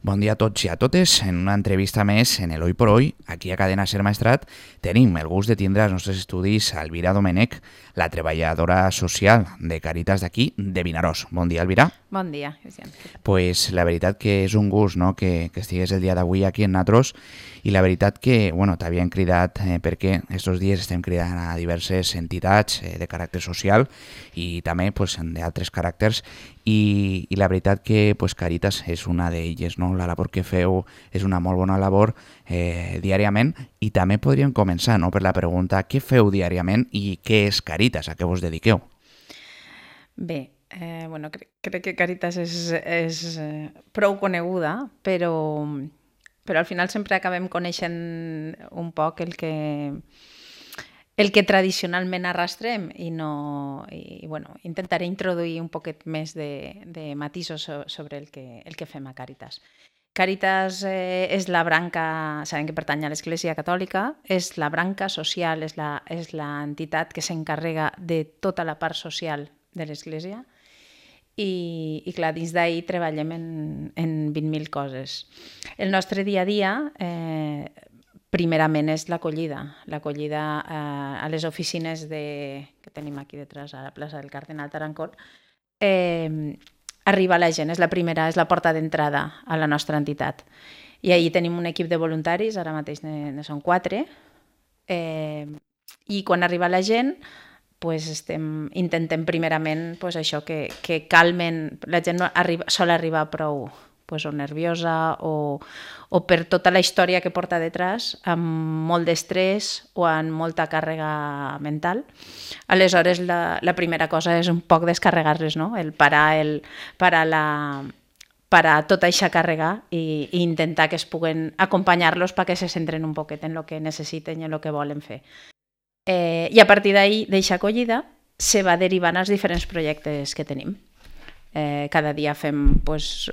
Bon dia a tots i a totes. En una entrevista més en el Hoy por Hoy, aquí a Cadena Ser Maestrat, tenim el gust de tindre als nostres estudis a Elvira Domènech, la treballadora social de Càritas d'aquí, de Vinaròs. Bon dia, Elvira. Bon dia, Cristian. Pues la veritat que és un gust, no?, que estigués el dia d'avui aquí en Natros, i la veritat que, bueno, t'havien cridat perquè estos dies estem cridant a diverses entitats de caràcter social i també pues, d'altres caràcters, i la veritat que pues, Càritas és una d'elles, no? La labor que feu és una molt bona labor diàriament, i també podríem començar, no?, per la pregunta: què feu diàriament i què és Càritas, a què vos dediqueu? Bé, bueno, crec que Càritas és prou coneguda, però al final sempre acabem coneixent un poc el que tradicionalment arrastrem i bueno, intentaré introduir un poquet més de matisos sobre el que fem a Càritas. Càritas és la branca, sabem que pertany a l'Església Catòlica, és la branca social, és l'entitat que s'encarrega de tota la part social de l'Església, i clar, dins d'ahir treballem en 20.000 coses. El nostre dia a dia, primerament, és l'acollida a les oficines que tenim aquí detrás, a la plaça del Cardenal Tarancón. Arriba la gent, és la porta d'entrada a la nostra entitat. I ahir tenim un equip de voluntaris, ara mateix ne són 4, i quan arriba la gent, pues intentem primerament pues això, que calmen. La gent sol arribar prou pues, o nerviosa o per tota la història que porta detrás, amb molt d'estrès o amb molta càrrega mental. Aleshores, la primera cosa és un poc descarregar-les, no? El parar tota aquesta càrrega i intentar que es puguen acompanyar-los perquè se centren un poquet en el que necessiten i en el que volen fer. I a partir d'ahir, d'aquesta acollida, se va derivant als diferents projectes que tenim. Cada dia fem, pues,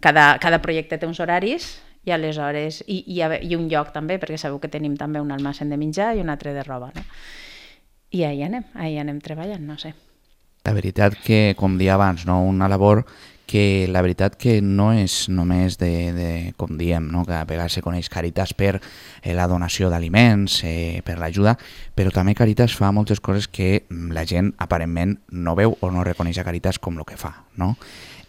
cada projecte té uns horaris i aleshores i un lloc també, perquè sabeu que tenim també un almacén de menjar i un altre de roba, no? I ahir anem treballant, no sé. La veritat que, com dia abans, no? Una labor que la veritat que no és només com diem, no? Que a vegades se coneix Càritas per la donació d'aliments, per l'ajuda, però també Càritas fa moltes coses que la gent aparentment no veu o no reconeix a Càritas com el que fa, no?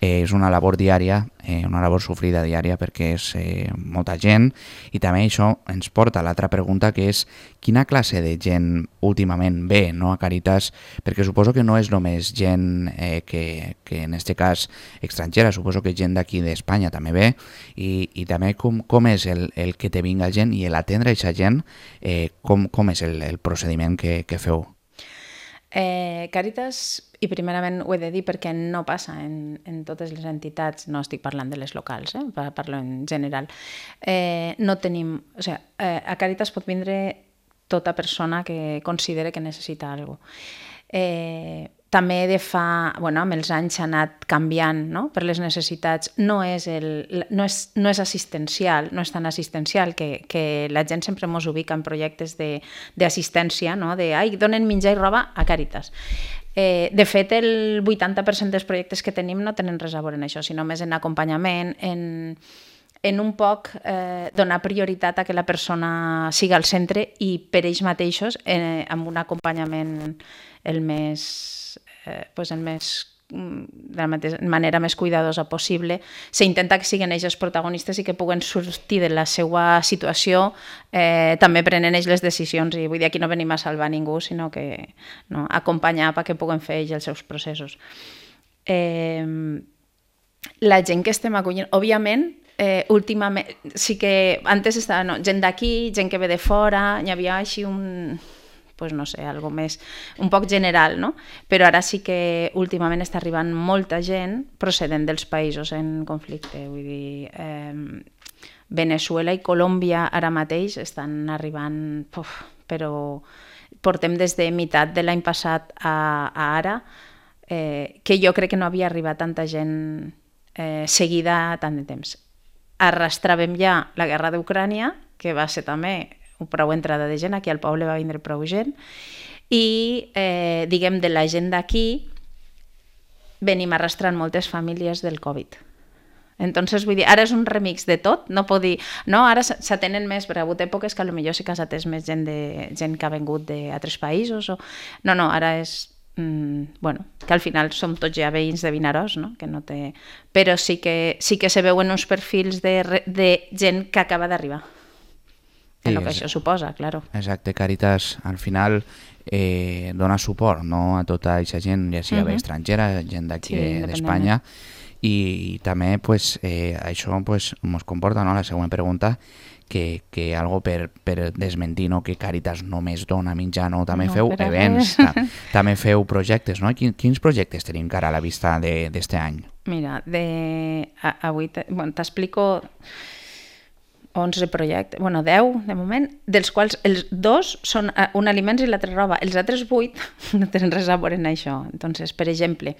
És una labor diària, una labor sofrida diària, perquè és molta gent, i també això ens porta a l'altra pregunta, que és quina classe de gent últimament ve, no, a Càritas, perquè suposo que no és només gent que en aquest cas estrangera, suposo que gent d'aquí d'Espanya també ve, i també com és el que te vinga gent i l'atendre aquesta gent, com és el procediment que feu? Càritas, i primerament ho he de dir perquè no passa en totes les entitats, no estic parlant de les locals, parlo en general, no tenim, o sigui, a Càritas pot vindre tota persona que considere que necessita alguna cosa. També amb els anys s'ha anat canviant, no?, per les necessitats. No és assistencial, no és tan assistencial, que la gent sempre ens ubica en projectes d'assistència, no?, donen menjar i roba a Càritas. De fet, el 80% dels projectes que tenim no tenen res a veure amb això, sinó més en acompanyament, en un poc donar prioritat a que la persona siga al centre i per ells mateixos, amb un acompanyament de la manera més cuidadosa possible. S'intenta que siguin ells els protagonistes i que puguen sortir de la seva situació també prenent ells les decisions, i vull dir, aquí no venim a salvar ningú, sinó que acompanyar perquè puguen fer ells els seus processos. La gent que estem acollint, òbviament, últimament, sí que antes estava gent d'aquí, gent que ve de fora, hi havia així pues no sé, algo més, un poc general, no? Però ara sí que últimament està arribant molta gent procedent dels països en conflicte, vull dir, Veneçuela i Colòmbia ara mateix estan arribant, però portem des de meitat de l'any passat a ara, que jo crec que no havia arribat tanta gent seguida tant de temps. Arrastràvem ja la guerra d'Ucrània, que va ser també prou entrada de gent, aquí al poble va vindre prou gent, i diguem, de la gent d'aquí venim arrastrant moltes famílies del Covid. Entonces, vull dir, ara és un remix de tot, no pot dir, no, ara s'atenen més, perquè ha hagut èpoques que potser sí que s'ha atès més gent que ha vengut d'altres països, o... no, ara és, bueno, que al final som tots ja veïns de Vinaròs, no? Que no té... Però sí que se veuen uns perfils de gent que acaba d'arribar, en el que això suposa, claro. Exacte, Càritas al final dona suport, no, a tota aquesta gent, ja sigui estrangera, gent d'aquí d'Espanya, i també pues, això pues, ens comporta, no, la següent pregunta, que algo per desmentir, no, que Càritas només dona menjar, no, també feu events, també feu projectes, no? Quins projectes tenim cara a la vista d'este any? Mira, avui t'explico 11 projectes, 10 de moment, dels quals els 2 són un aliments i l'altre roba. Els altres 8 no tenen res a veure en això. Entonces, per exemple,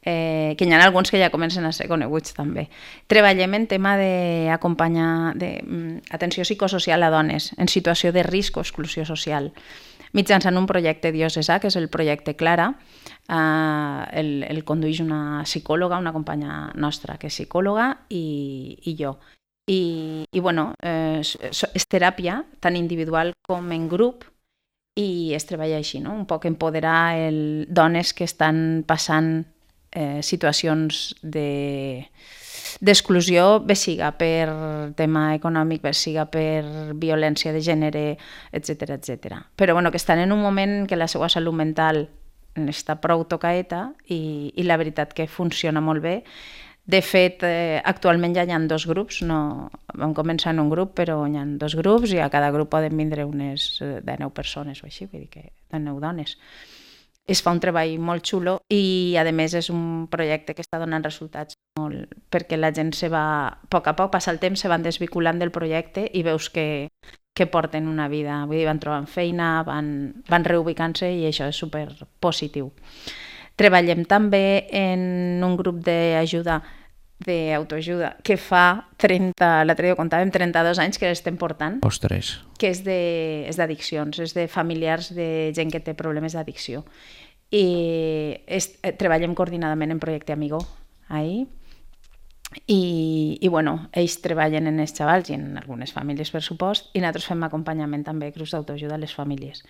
que hi ha alguns que ja comencen a ser coneguts també. Treballem en tema d'acompanyar atenció psicosocial a dones en situació de risc o exclusió social, mitjançant un projecte diocesà, que és el projecte Clara. El condueix una psicòloga, una companya nostra que és psicòloga, i jo. I bueno, és teràpia tant individual com en grup, i es treballa així, no? Un poc empoderar dones que estan passant situacions d'exclusió, bé siga per tema econòmic, bé siga per violència de gènere, etc. Però bueno, que estan en un moment en què la seva salut mental està prou tocaeta, i la veritat que funciona molt bé. De fet, actualment ja hi ha 2 grups, no, vam començar en un grup, però hi ha 2 grups, i a cada grup poden vindre unes de 9 persones o així, vull dir que de 9 dones. Es fa un treball molt xulo, i a més és un projecte que està donant resultats molt, perquè la gent a poc a poc, passa el temps, se van desvinculant del projecte i veus que porten una vida, vull dir, van trobant feina, van reubicant-se, i això és super positiu. Treballem també en un grup d'autoajuda que fa 30, l'altre dia contàvem, 32 anys que l'estem portant. Ostres. Que és d'addiccions, és de familiars de gent que té problemes d'addicció. I treballem coordinadament en Projecte Amigo, ahí. I bueno, ells treballen en els xavals i en algunes famílies, per supost, i nosaltres fem acompanyament també, grups d'autoajuda a les famílies.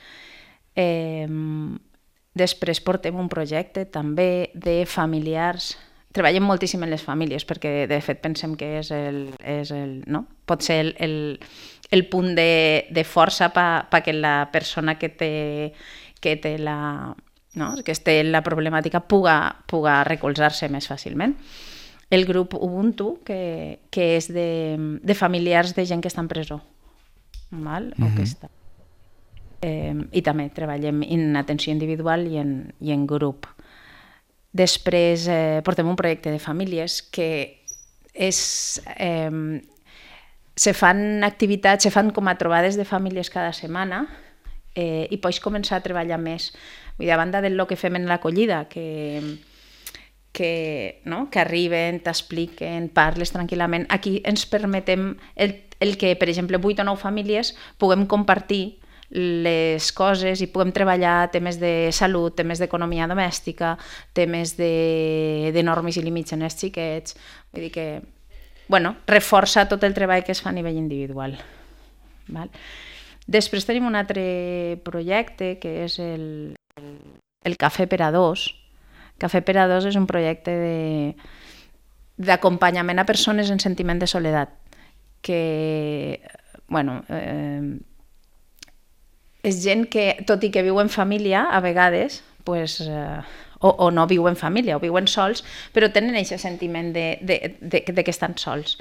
Després portem un projecte també de familiars. Treballem moltíssim en les famílies, perquè de fet pensem que pot ser el punt de força perquè la persona que té la problemàtica puga recolzar-se més fàcilment. El grup Ubuntu, que és de familiars de gent que està en presó, o que està... I també treballem en atenció individual i en grup. Després portem un projecte de famílies que se fan activitats, se fan com a trobades de famílies cada setmana, i pots començar a treballar més. Vull dir, a banda del que fem en l'acollida, que arriben, t'expliquen, parles tranquil·lament, aquí ens permetem el que, per exemple, 8 o 9 famílies puguem compartir les coses i puguem treballar temes de salut, temes d'economia domèstica, temes de normes i límits en els xiquets. Vull dir que, reforça tot el treball que es fa a nivell individual. Després tenim un altre projecte que és el Cafè per a Dos. Cafè per a Dos és un projecte d'acompanyament a persones en sentiment de soledat, que, és gent que, tot i que viu en família, a vegades, o no viu en família, o viuen sols, però tenen aquest sentiment de que estan sols.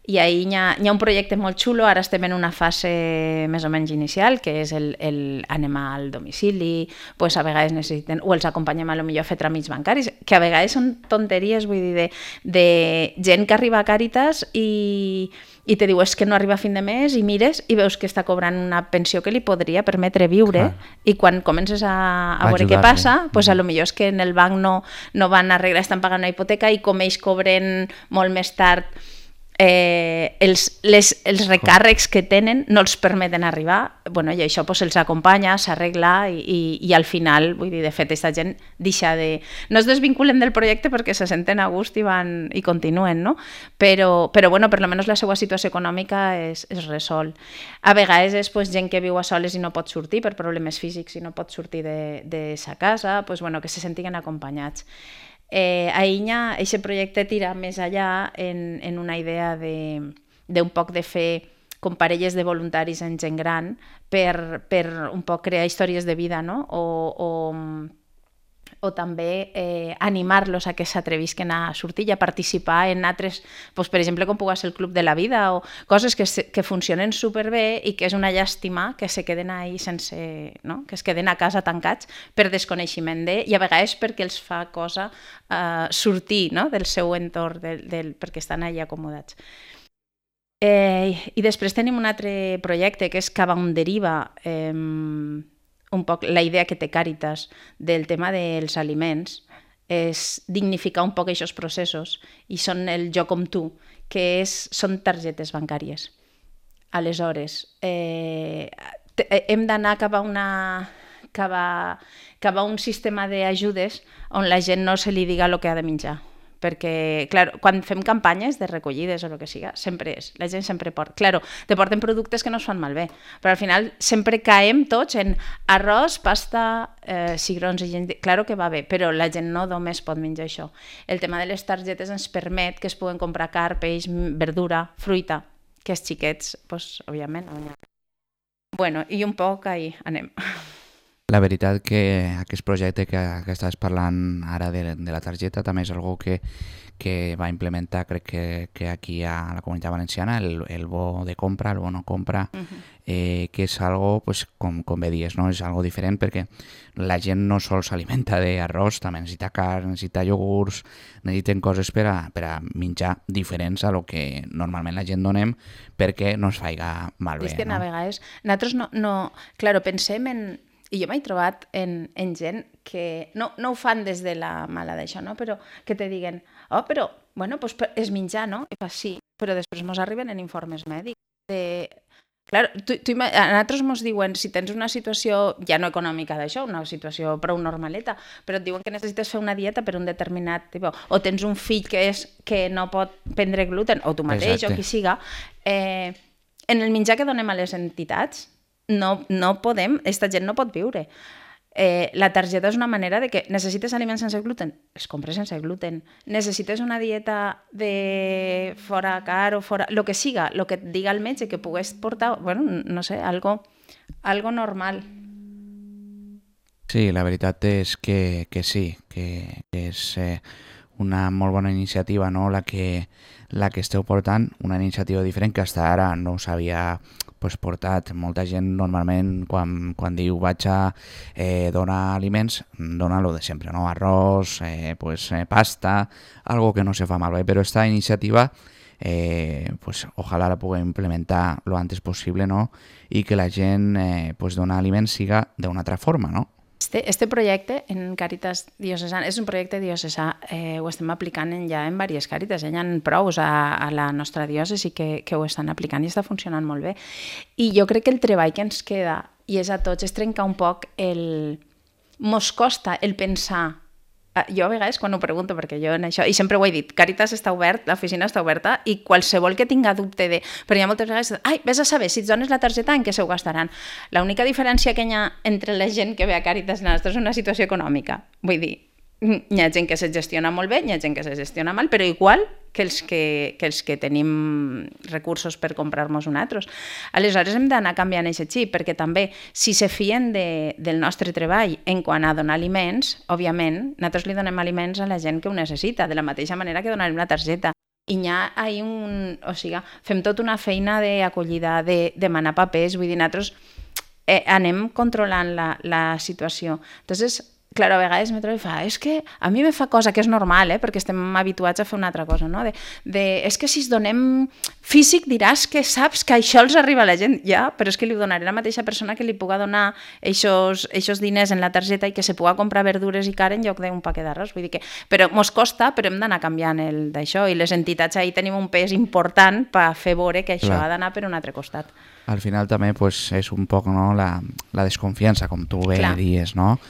I ahí hi ha un projecte molt xulo, ara estem en una fase més o menys inicial, que és anem al domicili, a vegades necessiten, o els acompanyem a fer tràmits bancaris, que a vegades són tonteries, vull dir, de gent que arriba a Càritas i te diu que no arriba a fin de mes, i mires i veus que està cobrant una pensió que li podria permetre viure, i quan comences a veure què passa, potser és que en el banc no van arreglar, estan pagant una hipoteca, i com ells cobren molt més tard els recàrrecs que tenen no els permeten arribar, bueno, i això pues, se'ls acompanya, s'arregla i al final, vull dir, de fet, aquesta gent deixa de... No es desvinculen del projecte perquè se senten a gust i continuen, no? Però bueno, per almenys la seva situació econòmica es resol. A vegades és pues, gent que viu a soles i no pot sortir per problemes físics i no pot sortir de sa casa, pues, bueno, que se sentiguen acompanyats. A Inya, aquest projecte tira més allà en una idea d'un poc de fer com parelles de voluntaris en gent gran per un poc crear històries de vida, no? O també animar-los a que s'atrevisquen a sortir i a participar en altres, doncs, per exemple, com pugui ser el Club de la Vida o coses que funcionen superbé i que és una llàstima que se queden ahí sense, no? Que es queden a casa tancats per desconeixement i a vegades perquè els fa cosa sortir, no? Del seu entorn, perquè estan allà acomodats. I després tenim un altre projecte que és Cava on deriva, un poc la idea que té Càritas del tema dels aliments és dignificar un poc aquests processos i són el jo com tu, que són targetes bancàries. Aleshores, hem d'anar cap a un sistema d'ajudes on la gent no se li diga el que ha de menjar. Perquè, clar, quan fem campanyes de recollides o el que siga, sempre és, la gent sempre porta. Clar, te porten productes que no es fan malbé, però al final sempre caem tots en arròs, pasta, cigrons i gent... Clar que va bé, però la gent no només pot menjar això. El tema de les targetes ens permet que es puguen comprar carn, peix, verdura, fruita, que els xiquets, doncs, òbviament... Bueno, i un poc ahí anem. La veritat que aquest projecte que estàs parlant ara de la targeta també és algo que va implementar, crec que aquí a la Comunitat Valenciana, el bo de compra, el bo no compra, que és algo, pues, com bé dies, no? És algo diferent perquè la gent no sols s'alimenta d'arròs, també necessita carn, necessita iogurts, necessiten coses per a menjar diferents a lo que normalment la gent donem perquè no es faiga malbé. És que a vegades nosaltres no... Claro, pensem en... I jo m'he trobat en gent que no ho fan des de la mala d'això, no? Però que te diguen, però, bueno, pues és menjar, no? I fa sí, però després mos arriben en informes mèdics. Clar, a nosaltres mos diuen, si tens una situació, ja no econòmica d'això, una situació prou normaleta, però et diuen que necessites fer una dieta per un determinat tipus, o tens un fill que no pot prendre gluten, o tu mateix, o qui siga, en el menjar que donem a les entitats, no podem, aquesta gent no pot viure. La targeta és una manera de que necessites aliments sense gluten, els compres sense gluten. Necessites una dieta de fora car o fora... El que siga, el que et diga el metge que pugues portar, bueno, no sé, algo normal. Sí, la veritat és que sí, que és una molt bona iniciativa, no? La que esteu portant, una iniciativa diferent que fins ara no s'havia portat. Molta gent normalment quan diu vaig a donar aliments, dona lo de sempre, no? Arròs, pasta, algo que no se fa malbé, però esta iniciativa ojalà la puguem implementar lo antes possible, no? I que la gent donar aliments siga d'una altra forma, no? Este projecte en Càritas Diocesana és un projecte diocesà, ho estem aplicant ja en diverses Càritas, hi ha prous a la nostra diòcesi que ho estan aplicant i està funcionant molt bé. I jo crec que el treball que ens queda, i és a tots, és trencar un poc mos costa el pensar. Jo a vegades quan ho pregunto, perquè jo en això, i sempre ho he dit, Càritas està obert, l'oficina està oberta, i qualsevol que tinga dubte de... Però hi ha moltes vegades, vés a saber, si et dones la targeta, en què se ho gastaran? L'única diferència que hi ha entre la gent que ve a Càritas és una situació econòmica. Vull dir, hi ha gent que se gestiona molt bé, hi ha gent que se gestiona mal, però igual que els que tenim recursos per comprar-nos nosaltres. Aleshores hem d'anar canviant aquest xip, perquè també, si se fien del nostre treball en quant a donar aliments, òbviament, nosaltres li donem aliments a la gent que ho necessita, de la mateixa manera que donarem la targeta. I hi ha fem tota una feina d'acollida, de demanar papers, vull dir, nosaltres anem controlant la situació. Entonces, Claro, a vegades me trobo i fa, és que a mi me fa cosa, que és normal, perquè estem habituats a fer una altra cosa, no? És que si es donem físic diràs que saps que això els arriba a la gent, ja, però és que li donaré la mateixa persona que li puga donar eixos diners en la targeta i que se puga comprar verdures i carn en lloc d'un paquet d'arròs, vull dir que... Però mos costa, però hem d'anar canviant d'això, i les entitats ahí tenim un pes important per fer veure que això ha d'anar per un altre costat. Al final també pues, és un poc no, la desconfiança, com tu bé dius, no?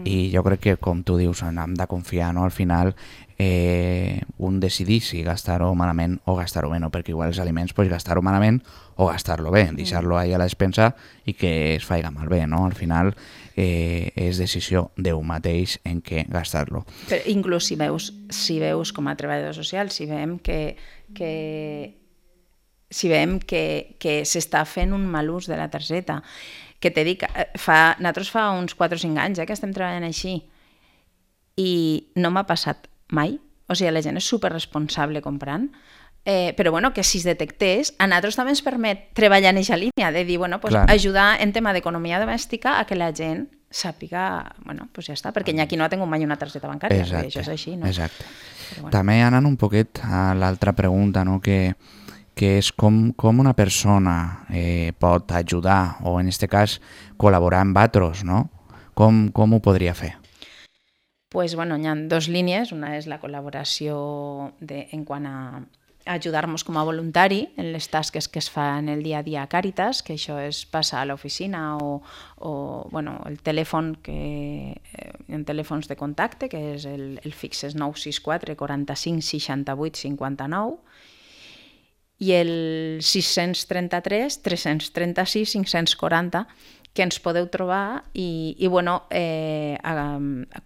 I jo crec que, com tu dius, hem de confiar, no? Al final, un decidir si gastar-ho malament o gastar-ho bé, no? Perquè igual els aliments, pues, gastar-ho malament o gastar-lo bé, deixar-lo ahí a la despensa i que es faiga malbé, no? Al final és decisió d'eu mateix en què gastar-lo. Però inclús si veus com a treballador social, si veiem que s'està fent un mal ús de la targeta, que te dic, nosaltres fa uns 4 o 5 anys que estem treballant així i no m'ha passat mai, o sigui, la gent és superresponsable comprant, però bueno, que si es detectés, a nosaltres també ens permet treballar en aquesta línia, de dir, bueno, pues, ajudar en tema d'economia domèstica a que la gent sàpiga, bueno, pues ja està, perquè aquí no ha tingut mai una targeta bancària, això és així, no? Exacte. Bueno. També anant un poquet a l'altra pregunta, no?, que és com una persona pot ajudar o, en aquest cas, col·laborar amb altres, no? Com ho podria fer? Pues, bueno, hi ha 2 línies. Una és la col·laboració en quant a ajudar-nos com a voluntari en les tasques que es fan el dia a dia a Càritas, que això és passar a l'oficina o bueno, el telèfon, en telèfons de contacte, que és el fix és 964 45 68 59, i el 633 336 540, que ens podeu trobar i bueno,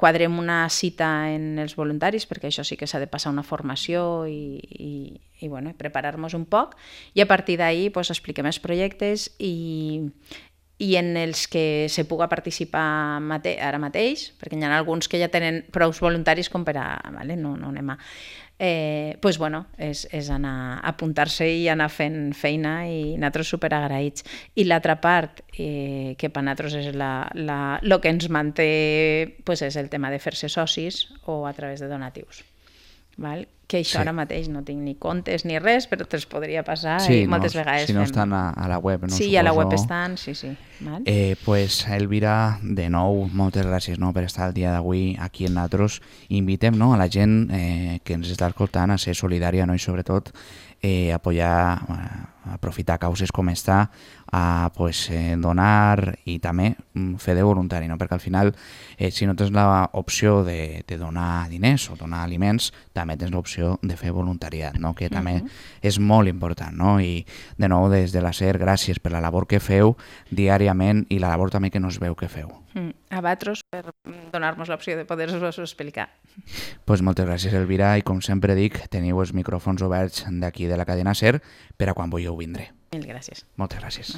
quadrem una cita en els voluntaris, perquè això sí que s'ha de passar una formació i bueno, preparar-nos un poc, i a partir d'ahí pues, expliquem els projectes i en els que se puga participar ara mateix, perquè hi ha alguns que ja tenen prou voluntaris com per a... Vale? No anem a... pues bueno, és anar a apuntar-se i anar fent feina i nosaltres superagraïts. I l'altra part, que per nosaltres és el que ens manté, pues és el tema de fer-se socis o a través de donatius. Val? Que això ara mateix no tinc ni comptes ni res, però te'ls podria passar i moltes vegades si no estan a la web, no? Sí, a la web estan, sí. Val? Pues Elvira, de nou, moltes gràcies per estar el dia d'avui aquí en nosaltres. Invitem a la gent que ens està escoltant a ser solidària i sobretot aprofitar causes com esta, a donar i també fer de voluntari, perquè al final si no tens l'opció de donar diners o donar aliments, també tens l'opció de fer voluntariat, que també és molt important. I de nou, des de la SER, gràcies per la labor que feu diàriament i la labor també que no es veu que feu. A vosaltres per donar-nos l'opció de poder-vos explicar. Moltes gràcies, Elvira, i com sempre dic, teniu els micròfons oberts d'aquí de la cadena SER per a quan vulgueu vindre. Mil gràcies. Moltes gràcies.